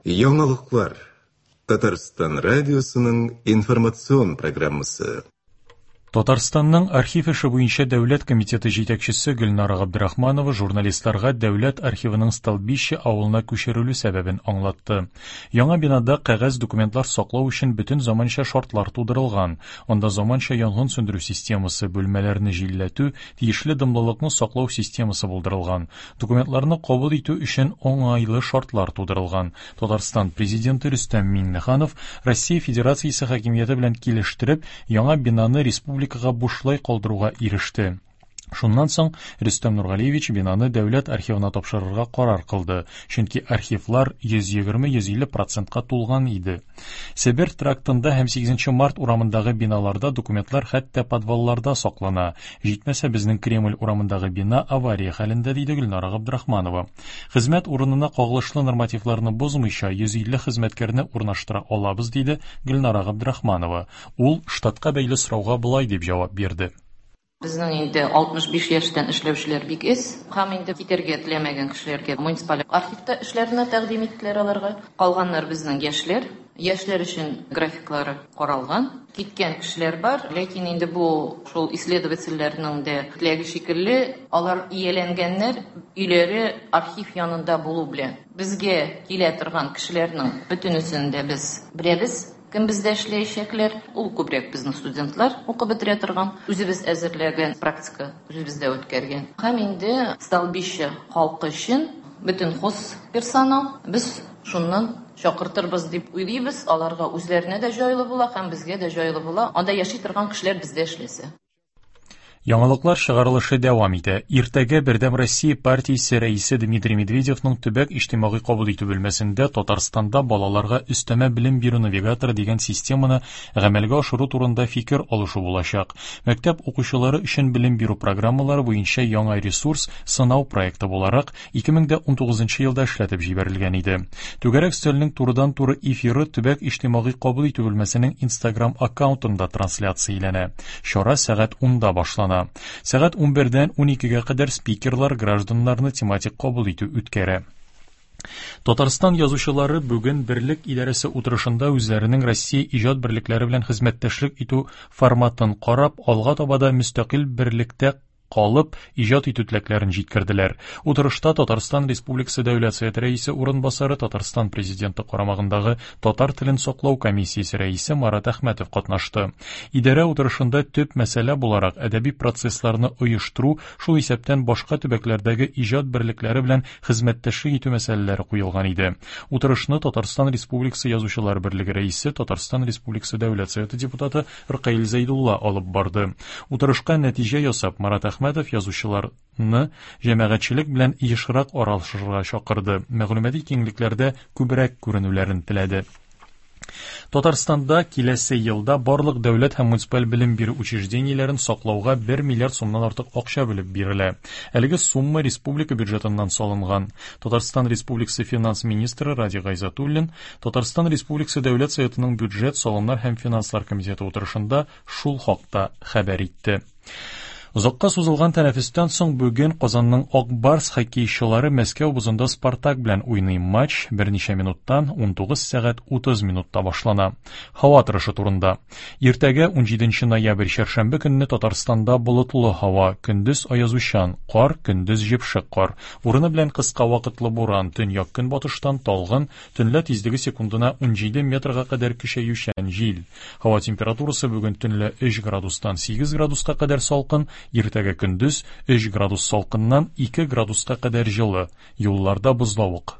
Яңалыклар. Татарстан радиосының информацион программасы. Татарстанның архив эше буенча дәүләт комитеты җитәкчесе Гөлнара Габдрахманова журналистларга дәүләт архивының Столбище авылына күчерелү сәбәбен аңлатты. Яңа бинада кәгазь документлар саклау өчен бөтен заманча шартлар тудырылган. Анда заманча янгын сүндерү системасы, бүлмәләрне җилләтү, тиешле дымлылыкны саклау системасы булдырылган. Документларны кабул итү өчен уңайлы шартлар тудырылган. Татарстан Президенты Рөстәм Миңнеханов Россия Федерациясе хакимияте белән килештереп, яңа бинаны республикага бушлай калдыруга иреште. Шуннан соң Рөстәм Нургалиевич бинаны дәүләт архивына тапшырырга карар кылды, чөнки архивлар 120-150 процентка тулган иде. Себер трактында һәм 8 март урамындагы биналарда документлар хәтта подвалларда саклана. Җитмәсә, безнең Кремль урамындагы бина авария хәлендә, диде Гөлнара Габдрахманова. Хезмәт урынына кагылышлы нормативларны бозмыйча 150 хезмәткәрне урнаштыра алабыз, диде Гөлнара Габдрахманова. Ул штатка бәйле сорауга болай дип җавап бирде. Безнең инде 65 яшьтән эшләүчеләр бик эз. Һәм инде китәргә теләмәгән кешеләргә муниципаль архивта эшләрне тәкъдим иттеләр аларга. Калганнар безнең яшьләр. Яшьләр өчен графиклары каралган. Киткән кешеләр бар, ләкин инде бу шул исследовательләрнең дә теләге шикелле, алар ияләнгәннәр, өйләре архив янында булу белән. Безгә килә торган кешеләрнең бөтенесен дә без беләбез, кем бездә эшләячәкләр. Ул күбрәк безнең студентлар укып бетерә торган, үзебез әзерләгән практика үзебездә үткәргән. Һәм инде Столбище халкы өчен бөтен хоз персонал без шуннан чакыртырбыз дип уйлыйбыз. Аларга үзләренә дә җайлы була һәм безгә дә җайлы була. Анда яши торган кешеләр бездә эшләсә. Яңалыклар чыгарылышы дәвам итә. Иртәгә Бердәм Россия партиясе рәисе Дмитрий Медведевның төбәк иҗтимагый кабул итү бүлмәсендә Татарстанда балаларга өстәмә белем бирү навигаторы дигән системаны гамәлгә ашыру турында фикер алышу булачак. Мәктәп укучылары өчен белем бирү программалары буенча яңа ресурс сынау проекты буларак 2019 елда эшләтеп җибәрелгән иде. Түгәрәк өстәлнең турыдан-туры эфиры төбәк иҗтимагый кабул итү бүлмәсенең Instagram аккаунтында трансляцияләнә. Чара сәгать 10-да башлана. Сәгать 11-дән 12-гә кадәр спикерлар гражданнарны тематик кабул итү үткәрә. Татарстан язучылары бүген Берлек идарәсе утырышында үзләренең Россия иҗат берлекләре белән хезмәттәшлек итү форматын карап, алга таба да мөстәкыйль берлектә калып, иҗат итү теләкләрен җиткерделәр. Утырышта Татарстан Республикасы Дәүләт Советы Рәисе урынбасары, Татарстан Президенты карамагындагы татар телен саклау комиссиясе рәисе Марат Әхмәтов катнашты. Идарә утырышында төп мәсьәлә буларак әдәби процессларны оештыру, шул исәптән башка төбәкләрдәге иҗат берлекләре белән хезмәттәшлек итү мәсьәләләре куелган иде. Утырышны Татарстан Республикасы Язучылар берлеге рәисе, Татарстан Республикасы Дәүләт Советы депутаты Ркаил Зәйдулла алып барды. Утырышка нәтиҗә ясап, Марат Әхмәтов язучыларны җәмәгатьчелек белән ешрак аралашырга чакырды, мәгълүмати киңлекләрдә күбрәк күренүләрен теләде. Татарстанда киләсе елда барлык дәүләт һәм муниципаль белем бирү учреждениеләрен саклауга 1 миллиард сумнан артык акча бүлеп бирелә. Әлеге сумма республика бюджетыннан салынган. Татарстан Республикасы финанс министры Радий Гайзатуллин Татарстан Республикасы Дәүләт Советының бюджет, салымнар һәм финанслар комитеты утырышында шул хакта хәбәр итте. Озакка сузылган тәнәфестән соң бүген Казанның Ак Барс хоккейчылары Мәскәү бозында Спартак белән уйный. Матч берничә минуттан 19 сәгать 30 минутта башлана. Һава торышы турында. Иртәгә 17 ноябрь чәршәмбе көнне Татарстанда болытлы һава, көндез аязучан, кар, көндез җепшек кар. Урыны белән кыска вакытлы буран, төньяк-көнбатыштан талгын, төнлә тизлеге секундына 17 метрга кадәр көчәючән җил. Һава температурасы бүген төнлә 3 градустан 8 градуска кадәр салкын, иртәгә көндез 3 градус салкыннан 2 градуска кадәр җылы. Юлларда бозлавык.